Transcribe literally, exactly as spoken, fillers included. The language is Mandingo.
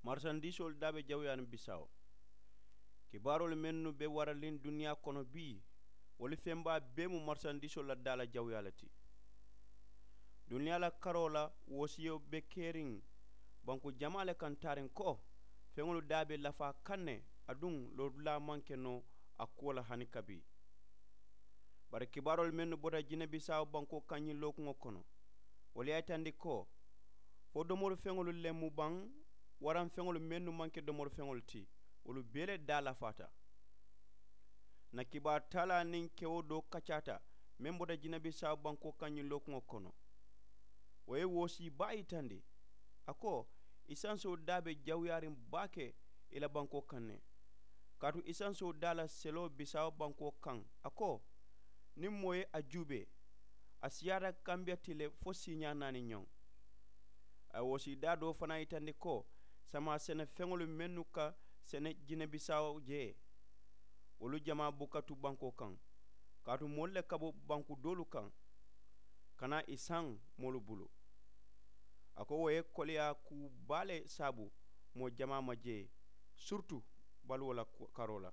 Marisandiisoolu daa be jawuyaariŋ bisaawo. Kibaaroolu mennu be waraliŋ duniyaa kono bii, wolu feŋ baa bee mu marisandiisoolu la daa la jawuyaa le ti. Duniyaa la karoo la woosiyo be keriŋ banku jamaa le kaŋ taariŋ ko, feŋolu daa be lafaa kaŋ ne, aduŋ loodulaa maŋ ke noo a kuwo la hani kabi. Bari kibaaroolu mennu bota jinebisaawo bankoo kaŋ ñiŋ lookuŋo kono, wolu ye a yitandi ko, fo domori feŋolu le mu baŋ, waraŋ feŋolu mennu maŋ ke domori feŋolu ti, wolu bee le daa lafaata. Ǹ na kibaaru taalaa niŋ kewo doo kacaata meŋ bota jinebisaawo bankoo kaŋ ñiŋ lookuŋo kono. Wo ye woosii baa yitandi. A ko, isansoo daa be jawuyaariŋ baake i la bankoo kaŋ ne. Kaatu isansoo daa la seloo bisaawo bankoo kaŋ, a ko, niŋ moo ye a juubee, a siyaata kambiya ti le fo siiñaa naani ñoŋ. A ye woosii daa doo fanaa yitandi ko, samaa sene feŋolu mennu ka sene jinebisaawo jee, wolu jamaa buka tu bankoo kaŋ. Kaatu moolu le ka bo banku doolu kaŋ, ka naa i saŋ moolu bulu. A ko wo ye koleyaa kuu baa le saabu moo jamaa ma jee, siritu baluwo la karoo la.